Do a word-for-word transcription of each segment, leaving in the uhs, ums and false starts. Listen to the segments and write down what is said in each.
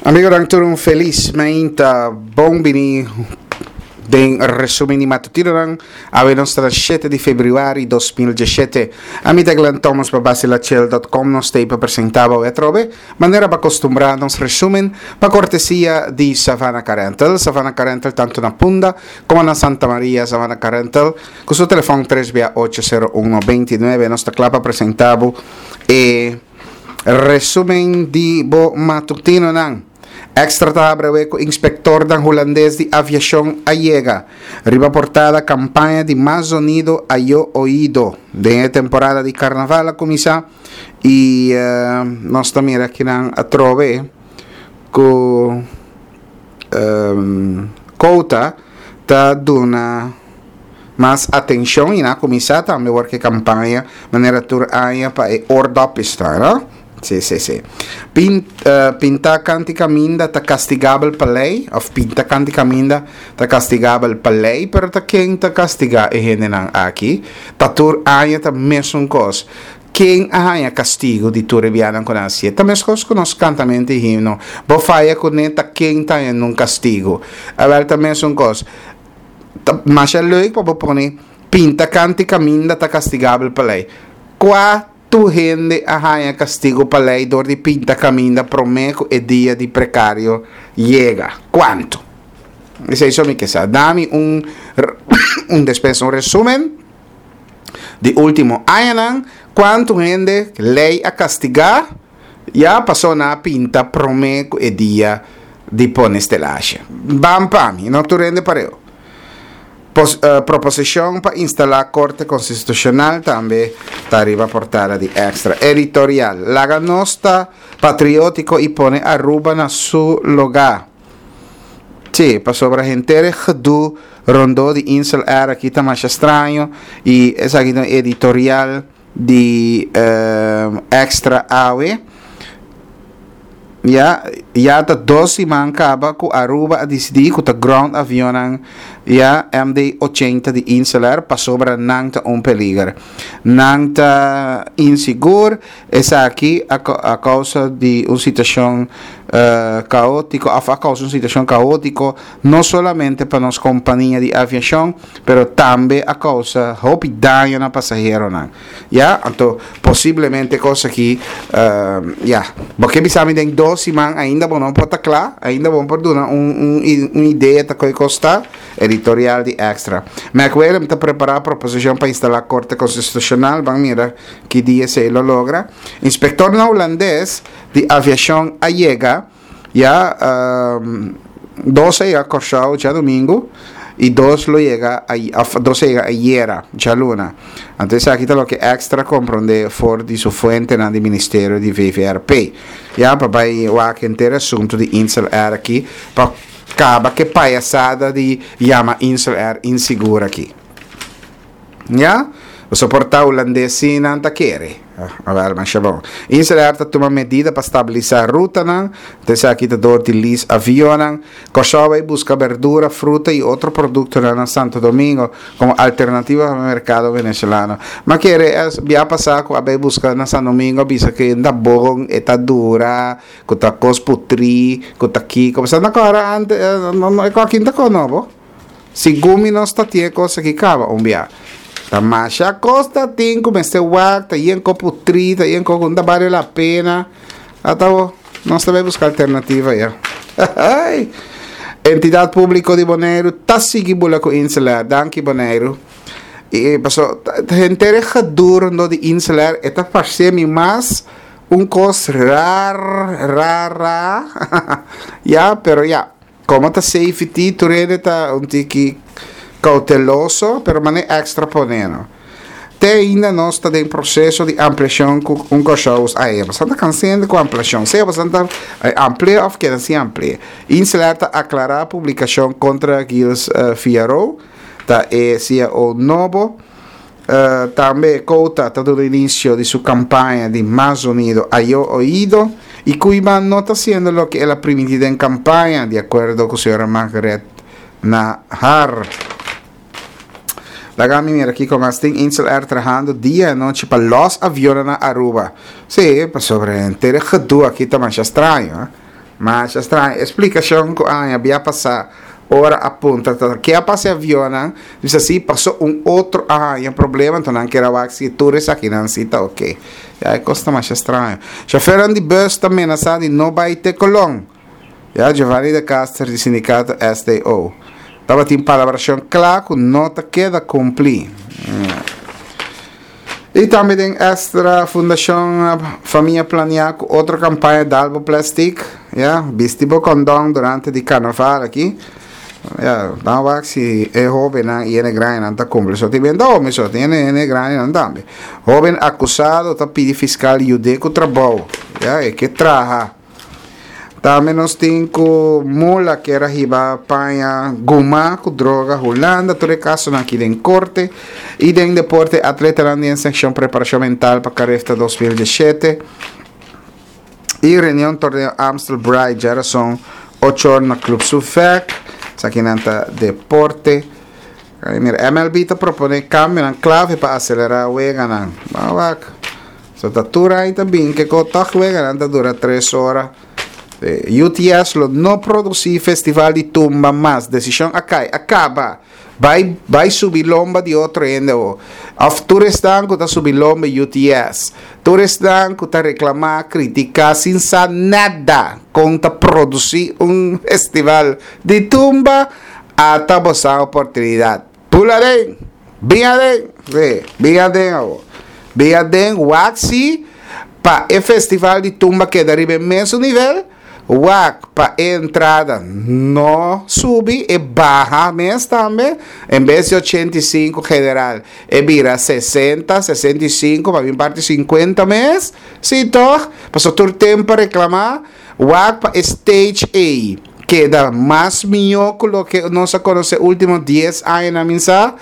Amigonan, tur un felis mainta. Bon bini den resumen di matutinonan. Awe nos ta shete di februari dos mil diesshete. Ami ta Glenn Thomas pa basilachel punto com. Nos ta pa presenta bo atrobe, manera pa acostumbra, nos resumen pa cortesia di Savannah Car Rental. Savannah Car Rental tanto na Punda como na Santa Maria. Savannah Car Rental cu su telefon tres bia ocho cero uno veintinuebe. Nos ta cla pa presenta bo e resumen di bo matutinonan. Extra ta abre ku inspector dan holandês di aviación a llega. Riba portada, campaña di más sonido a yo oído. De temporada di carnaval a comienza y uh, nos ta mira que nan a trove ku um, Quota ta duna mas atención y na comienza tambe work campaña manera tur aña pa e oordopjes ta, no? Sí, sí, sí. Pin, uh, pinta kanti caminda ta castigabel pa lei, of pinta kanti caminda ta castigabel pa lei, pero ta ken ta castiga e hendenan aki? Ta tur aña ta mesun kos. Ken a haña castigo di tur e bianan ku nan hasié? Ta mes kos ku nos kantamentu di himno. Bo faya kuné, ta ken ta haña un castigo? Awel, ta mesun kos. Ta masha leuk pa bo pone pinta kanti caminda ta castigabel pa lei. Kua tu hende a haña castigo pa lei dor di pinta caminda promé ku e dia di precario yega? Kuantu? Esei so mi ke sa. Dami un, un despensa, un resumen di último añanan, kuantu hende lei a kastigá ya pasó nan a pinta promé ku e dia di pone stelashi. Ban pa mi, no tur hende pareu. Pos, uh, proposishon pa instalá Korte Konstitushonal tambe ta riba portada di Extra. Editorial. Laga nos ta patriótiko i pone Aruba na su lugá. Sí, pasobra henter e gedoe rondó di Insel Air aki ta mas straño i esaki ta editorial di uh, Extra awe. Ya, ya ta dos siman kaba ku Aruba a disidí ku ta ground avionnan ya M D ochenta di Insel Air pasobra nan ta un peliger. Nan ta insigur. Esaki a, a kousa di un situashon uh, kaótiko, a, a kousa un situashon kaótiko no solamente pa nos kompania di aviashon, pero tambe a kousa hopi daño na pasaheronan. Ya, anto posiblemente kos aki uh, ya, bo ke bisa mi den dos siman ainda bo no por ta kla, ainda bo por duna un, un, un idea ta koi kos ta. Editorial di Extra. McWilliam ta prepará proposishon pa instalá Korte Konstitushonal, ban mira ki dia esei lo logra. Inspektor hulandes di aviashon a yega, ya um, dos a yega Kòrsou djadumingu i dos lo yega dos a yega ayera, djaluna. Anto aki ta loke Extra a komprondé for di su fuentenan di Ministerio di V V R P. Ya pa bai wak henter asuntu di Insel Air aki pa kaba ku payasada di yama Insel Air insigur aki. Ya? Soportá hulandes nan ta kere. Ah, masha bon. Insel Air ta tuma medida pa stabilisá rutanan. Esaki ta dor di lease avionnan. Kòrsou ta buska berdura, fruta i otro produktonan na Santo Domingo komo alternativa pa e merkado venezolano. Ma kere bia pasá ku a bai buska na Santo Domingo bisa ku ta bon, ta dura, ku ta kos putri, ku ta kiko. Mas agora antes, no no aki ta nobo. Segun mi nos ta tin kos aki kaba un bia. Ta masha kos ta tin ku mester wak, ta yen kos putri, ta yen kos ku no ta bale la pena. Ata bo, nos ta bai buska alternativa ya. Entidat Públiko di Boneiru ta sigui bula ku Insel Air. Danki, Boneiru. I pasó henter e gedoe rondó di Insel Air, e ta parse mi mas un kos rar, rar, rar. Ya, pero ya, komo ta safety, tur hende ta un tiki kouteloso, pero mane Extra pone, no? Te ainda nos ta den proseso di ampliashon ku un kòrsou ai, bastante kansá ku ampliashon. Sea bastante amplia òf keda sin amplia. Insel Air ta aklará publikashon kontra Gilles uh, Fiaro, ta e C E O nobo. Uh, tambe Quota ta duna inisio di su kampaña di mas zonido a yo oído i Koeiman no ta hasiendo loke el a primintí den kampaña, di akuerdo ku señora Margaret Nahar. Laga mi mira aki kon tin Insel Air trahando dia i anochi pa los avion na Aruba. Sí, pasobra henter e gedoe aki ta mas straño. Eh? Masha straño. Eksplikashon ku aña bia pasá ora a puntra ta ke a pasa avionnan, bisa si pasó un otro aña problema, anto nan kier a wak si tur esakinan si ta ok. Ya, e kos ta masha straño. Shofèrnan di bus ta menasá di no bai te Colon. Ya, Giovanni de Caster di sindikato S T O. Tabatin palabrashon kla ku no ta keda kumplí. I tambe den Extra, Fundashon Famia Plania ku otro kampaña Dal bo Plastic, ya, bisti bo kondon durante di karnaval aki. Ya, dan wak si e hóbennan i e grandinan ta kumpli. So tin bendo home so tin e grandinan tambe. Hóben akusado ta pidi fiskal yud'é ku trabou. Ya, e ke traha. Tambe nos tin ku mula ku a hiba paña goma ku droga Hulanda, tur e kasonan aki den korte. I den deporte, atletanan den sekshon preparashon mental pa Carifta dos mil diesshete. I reunion torneo Amstel Bright, djárason ocho or na Club Sufek. Esaki ta deporte. Mira, M L B ta proponé kambio klave pa aselerá weganan. Wak. So ta tur ei tambe, ku ku toch weganan ta dura tres ora. U T S lo no produsí festival di tumba mas. Desishon a kai, a kaba. Bai, bai subi lomba di otro hende. Òf tur esnan ku ta subi lomba U T S. Tur esnan ku ta reklamá, kritiká, sin sa nada. Kon ta produsí un festival di tumba, ata boso oportunidat. Pula den, bin aden, bin aden, bin aden, wak si, pa e festival di tumba keda riba mesun nivel, wak pa entrada no subi e baha mes tambe, en bes di ochenta i sinku general e bira sesenta, sesenta i sinku, pa bin parti sinkuenta mes, si toch? Pasó tur tempu reklamá, wak pa stage A keda mas mihó ku loke nos a konosé último dies aña na misa,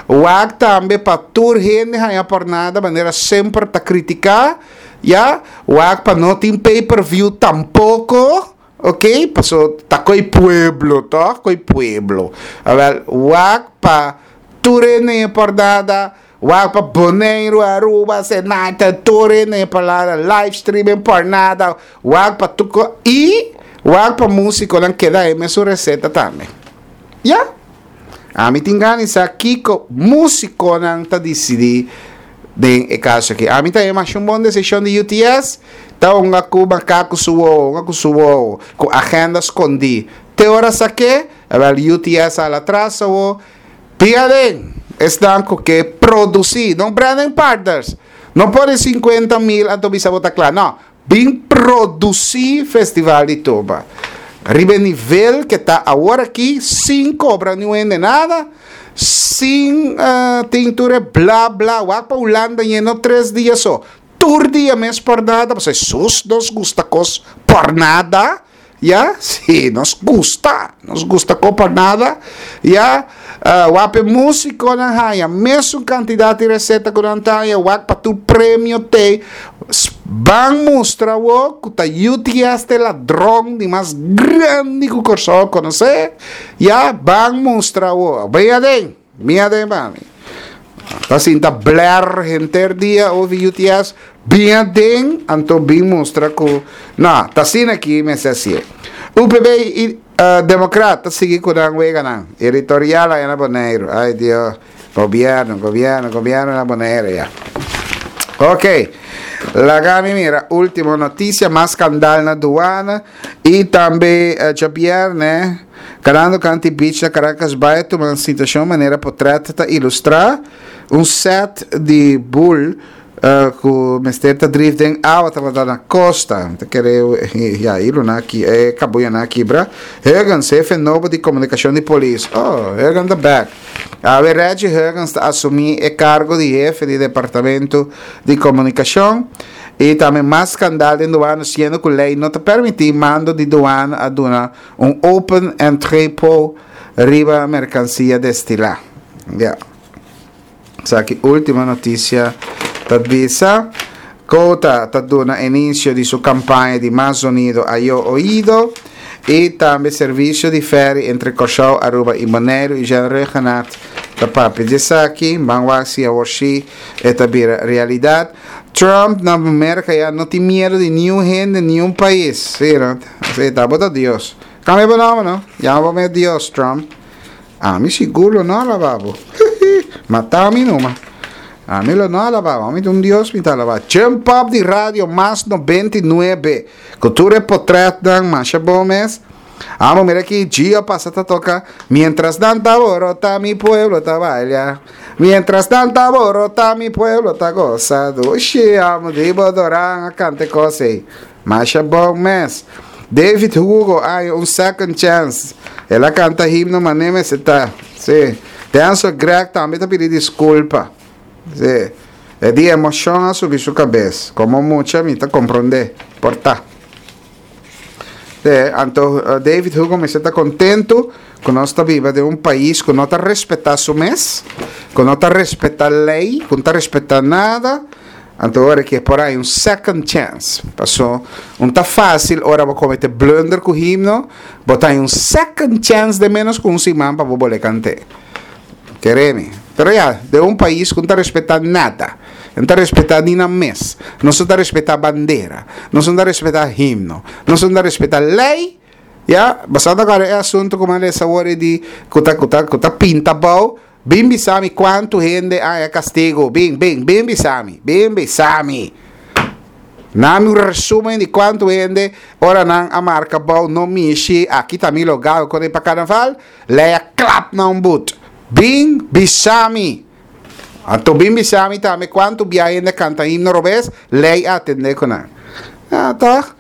wak tambe pa tur hende haña por nada, manera semper ta kritiká, ya, wak pa no tin pay-per-view tampoko, ok? Pasó ta ko'i pueblo, toch? Ko'i pueblo. Awel, wak pa tur hende por nada, wak pa Boneiru, Aruba, Senata, tur hende por nada, live streaming por nada, wak pa tuko i wak pa músikonan keda e mesun reseta tambe. Ya? Ami tin gana sa kiko músikonan ta disidí den e kaso aki. Ami ta mas un bon desishon di U T S, ta un ku makaku su wowo, un ku su wowo, ku agenda skondí. Te ora saké, awel, U T S a atras o pia den, esnan ku ke produsí, no branding partners. No pone sinkuenta mil anto bisa bo ta kla. No, bin produsí festival di tumba. Riba nivel ku ta awor aki, sin kobra ningun nada, sin uh, tin tur bla bla, wak pa Hulanda no tres dia so. Tur dia mes por nada, pasobra sus nos gusta kos por nada. Ya? Si, nos gusta. Nos gusta kos por nada. Ya? Uh, wak p'e músikonan haña mesun kantidat di reseta ku nan ta haña, wak pa tur premio te ban mustra wo ku ta U T S ta ladron di mas grandi ku Kòrsou konosé. Ya, ban mustra wo. Bin aden, bin aden pa mi. Ta sinta blèr henter dia over U T S, bin aden, anto bin mustra ku no, ta asina aki mester asina. U P B i uh, Democraat sigui ku nan weganan. Editorial ei na Boneiru. Ai Dios, gobièrnu, gobièrnu, gobièrnu na Boneiru ya. Ok. Laga mi mira, último notisia, mas skandalo na duana i tambe uh, djabièrnè, kanando kant'i beach na Caracas Bay, tuma un situashon manera portrèt ta ilustrá, un set di bull uh, ku mester ta drif den awa tabata na kosta. Ta kere ya ilu na aki e kabuya na kibra. Huggins, hefe nobo di komunikashon di polis. Oh, Huggins the back. Awe Reggie Huggins ta asumí e kargo di hefe di departamento di komunikashon. I tambe mas skandalo den duana, siendo ku lei no ta permití mando di duana a duna un open entrepot riba merkansia destilá. Yeah. Esaki último notisia ta bisa. Quota ta duna inisio di su kampaña di mas zonido ayo oido i tambe servisio di ferry entre Kòrsou, Aruba i Boneiru i Jean Rhuggenaath ta papia di esaki, ban wak si awor si e ta bira realidat. Trump na Amérika ya no tin miedu di ningun hende, ningun pais. Si, no? Si, ta bo ta Dios. Kambia bo nòmber, no? Yama bo mes Dios, Trump. Ami sigur lo no alabá bo. Mata mi numa. Ami lo no alabá bo. Ami ta un Dios mi ta alabá. Jump up di Radio Mas nobenta i nuebe. Ku tur e potretnan masha bon mes. Amo mira aki Gio pasa ta toka Mientras nan ta borota mi pueblo ta baila Mientras nan ta borota mi pueblo ta goza Dushi amo di bo Doran a kanta e kos ei Masha bon mes David Hugo ay un second chance El a kanta himno mane mester ta Si Denzel Greg tambe ta pidi disculpa Si E di emocion a subi su cabes Como mucha mi ta compronde Por ta. Te, anto David Hugo mester ta contento cu nos ta biba den un pais cu no ta respeta su mes, cu no ta respeta ley, cu no ta respeta nada. Anto ora ke por hay un second chance. Paso un ta facil ora bo comete blunder cu himno, bo ta hay un second chance den menos cu un siman pa bo bole cante. Kere mi. Pero ya, den un pais cu no ta respeta nada, no ta respeta ni nan mes, nos no ta respeta bandera, nos no ta respeta himno, nos no ta respeta ley, ya, basando agora e asunto cu mi a lesa awor e di cu ta, cu ta, cu ta pinta abao, bin bisa mi cuanto hende a haya castigo, bin, bin, bin bisa mi, bin bisa mi. Nami un resumen di cuanto hende ora nan a marca abao no mishi, aki ta mi logal con e pa carnaval, ley a klap nan un but. Bin bisa mi. Anto bin bisa mi tambe cuanto bia hende canta himno robes, ley a atende cu nan. Ja, toch?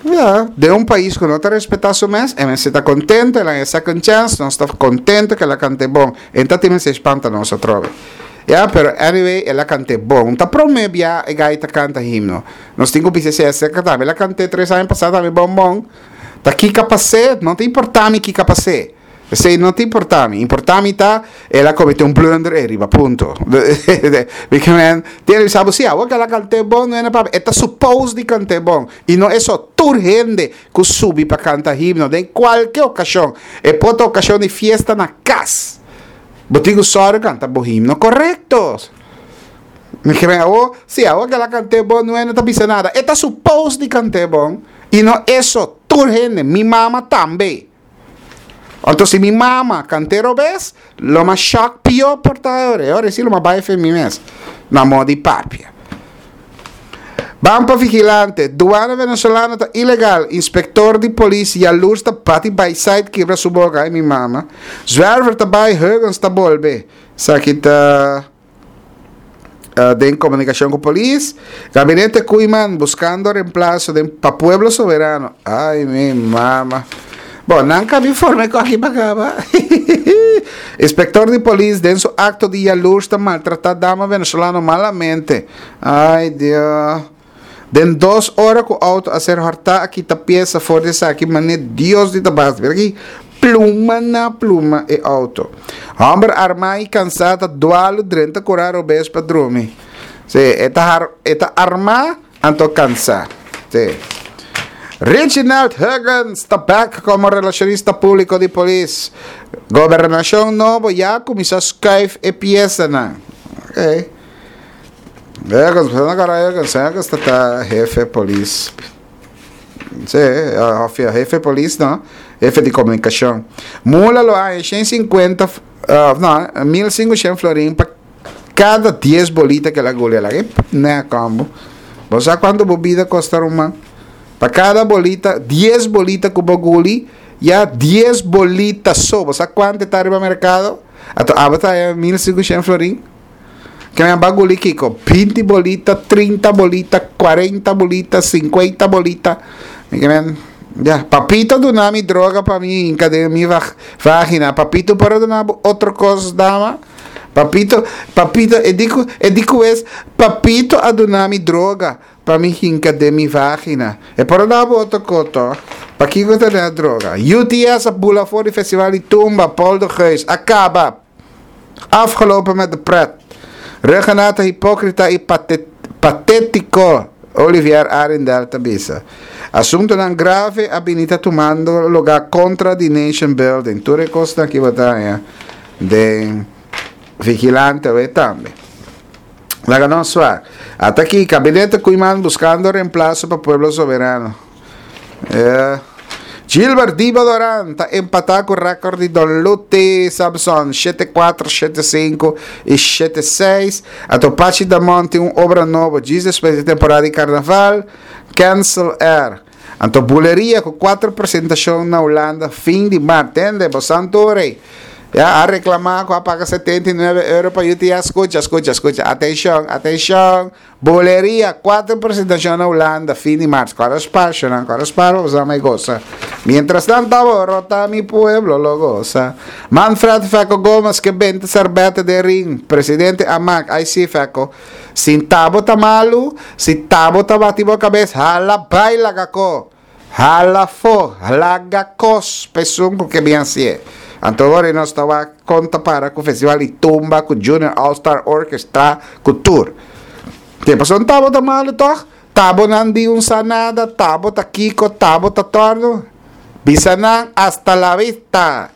Ja, den un pais cu no ta respeta su mes, e mester ta contento, el a haña second chance, nos ta contento cu el a cant'e bon. E ta tin mester spanta nos atrobe. Ja, pero anyway, el a cant'e bon. Ta prome bia e gai ta canta himno. Nos tin cu bisa esey acerca tambe. El a cant'e tres aña pasa tambe bon bon. Ta kico a pas'e? No ta importa mi kico a pas'e. Esey no ta importa mi. Importa mi ta el a comete un blunder ey riba, punto. Big man, tiene bisa bo si, awor cu el a cant'e bon, no e na papia. E ta suppose di cant'e bon. Y no eso, tur hende cu subi pa canta himno den cualke ocasion, e por ta ocasion di fiesta na cas, bo tin cu sòru canta bo himno corecto. Mi ke men awor, si awor cu el a cant'e bon, no e no ta bisa nada. E ta suppose di cant'e bon. Y no eso, tur hende, mi mama tambe. Anto si mi mama cant'e robes, lo mas shock pio por ta e ora. E ora si lo mas bai fe mi mes, na modo di papia. Ban pa vigilante, Duana venezolano ta ilegal, inspector di polis yalurs ta bati bai site kibra su boca, ay mi mama. Zwerver ta bai, Huggins ta bolbe. Esaki ta den comunicacion cu polis. Gabinete Koeiman buscando reemplazo den pa Pueblo Soberano. Ay mi mama. Bon, nan ka bin forma e koki pa kaba. Inspector di polis den su acto di yalurs ta maltrata dama venezolano malamente. Ay Dios. Den dos ora cu auto a ser horta a kita pieza for di esaki mane Dios di tabas. Mira aki pluma na pluma e auto. Homber arma y cansa ta dualu drenta cura robes pa drumi. Si, e ta har, e ta arma anto cansa. Si. Reginald Huggins ta bek como relacionista publico di polis. Gobernacion nobo ya a cuminsa schuif e piezanan. Ok. Huggins, pues no cara Huggins, Huggins ta ta hefe polis. Sí, of ja, hefe polis no, hefe di comunicacion. Mula lo haña shen cincuenta, uh, no, mil cinco florin pa cada dies bolita que la guli. La que ne combo. Bo sa cuánto bo bida costa, ruman? Pa cada bolita, dies bolita cu bo guli, ya dies bolita so. Bo sa cuánto ta riba mercado? Ato abo ta mil cinco florin? Ke men ba guli kiko? Binti bolita, trinta bolita, cuarenta bolita, cincuenta bolita. Mi ke men, ya, papito duna mi droga pa mi hinca den mi vagina. Papito por a duna bo otro cos, dama? Papito, papito, e di cu, e di cu es, papito a duna mi droga pa mi hinca den mi vagina. E por a duna bo otro cos, toch? Pakico ta duna droga? U T S a bula for di festival di tumba, Paul de Geus, a caba. Afgelopen met de pret. Rhuggenaath hipocrita y patetico, Olivier Arrindell ta bisa. Asuntonan grave a bini ta tumando lugar contra di Nation Building. Tur e cosnan aki bo ta haña den Vigilante awe tambe. Laga nos wak. Ata aki, Gabinete Koeiman buscando reemplazo pa Pueblo Soberano. Yeah. Gilbert Diba Doran ta empatá ku rekòrt di Don Luti Samson, shete kuater, shete sinku i shete seis. Anto Pachi Damon tin un obra nobo djis despues di temporada di karnaval, Cancel Air. Anto Buleria ku kuater presentashon na Hulanda fin di mart. Tende, bo santu rei. Ya a reklamá ku a paga setenta i nuebe euro pa U T S. Skucha, skucha, skucha. Atenshon, atenshon. Buleria, kuater presentashon na Hulanda, fin di mart. Kòrda spar, shonan, kòrda spar, bo mai gosa. Mientras tanto, rota mi pueblo lo goza. Manfred Feco Gomez, ke benta sèrbètè den ring. Presidente Amak, ai si Feco. Si t'abo ta malu, si t'abo ta bati bo kabes, hala bai laga ko. Hala fo, laga kos, pesun ku ke bien sie. Anto ora nos taba konta para ku Festival di Tumba, ku Junior All Star Orchestra, ku tour. Ke pasó t'abo ta malu toch? T'abo nan di un sanada, t'abo ta kiko, t'abo ta torno. Bisa nan hasta la vista.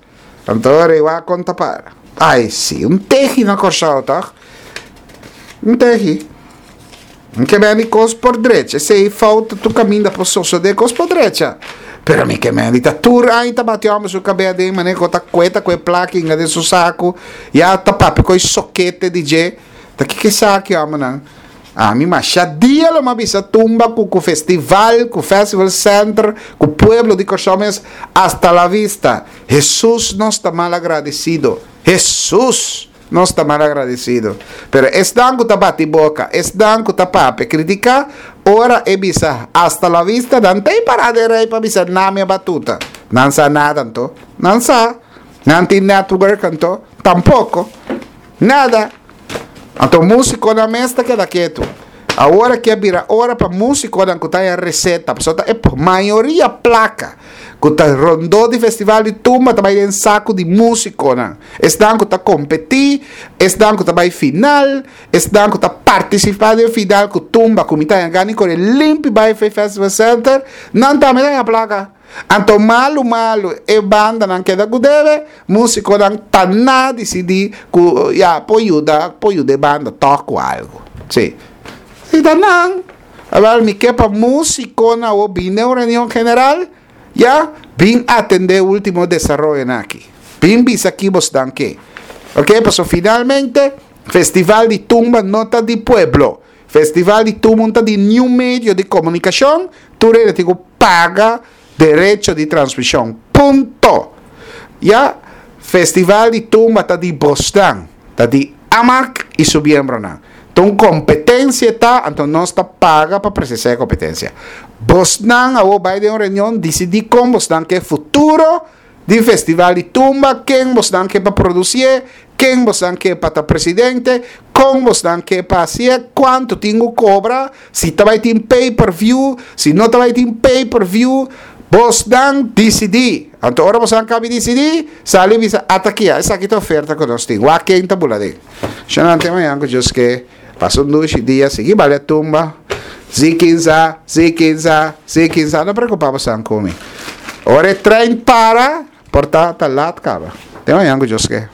Anto ora igual konta para. Ai si, un tehi na Kòrsou toch? Un tehi. Ke men kos por drecha. Esei falta tu kaminda por sosodé kos por drecha. Pero mi ke men ta tur ai ta bati hòmber su kabes den manera ku ta kueta ku e plaka inga den su saku. Ya ta papia ku e sokete di dje. Ta kiko esaki, hòmbernan? Ami masha dia lo m'a bisa tumba ku ku festival, ku festival center, ku pueblo di Kòrsou mes, hasta la vista. Jesus, nos ta mal agradesido. Jesus, nos ta mal agradesido. Pero esnan ku ta bati boka, esnan ku ta papia, kritiká, ora e bisa hasta la vista, nan t'ei pará den rei pa bisa na mi batuta. Nan sa nada anto. Nan sa. Nan tin network anto. Tampoko. Nada. Anto músiko na mes ta keda ketu. Awor ku bira ora pa músikonan ku ta e reseta, pasobra ta e mayoria plaka ku ta rondó di Festival di Tumba ta bai den saku di músikonan. Esnan ku ta kompetí, esnan ku ta bai final, esnan ku ta partisipá den final ku tumba, ku mi ta gana kore limpi bai Festival Center, nan tambe ta plaka. Anto malu malu e bandanan keda ku debe, músikonan ta na disidí ku ya por yuda, por yuda e banda tòg ku algu. Si. I ta nan. Awor mi ke pa músikonan o bin den reunion general, ya bin atendé último desaroyo aki. Bin bisa ki bosnan ke. Ok, paso finalmente Festival di Tumba no ta di pueblo. Festival di Tumba ta di niun medio di komunikashon, tur tin ku paga derecho di transmishon. Punto. Ya, Festival di Tumba ta di bosnan, ta di Amak i su miembronan. Anto kompetensia ta, anto nos ta paga pa presensiá e kompetensia. Bosnan a bai den un reunion, disidí kon bosnan ke futuro di Festival di Tumba, ken bosnan ke pa produsí, ken bosnan ke pa ta presidente, kon bosnan ke pa hasi, kuantu tin ku kobra, si ta bai tin pay per view, si no ta bai tin pay per view, bosnan disidí. Anto ora bosnan kaba disidí, sali bisa at'aki, esaki ta oferta ku nos tin. Wak ken ta bula den. Shonan, te mañan ku Dios ke. Pasa un dushi dia, sigui balia tumba. Zikinza, zikinza, zikinza. No preokupá ku mi. Ora e trein para, por ta ta lat kaba. Te mañan ku Dios ke.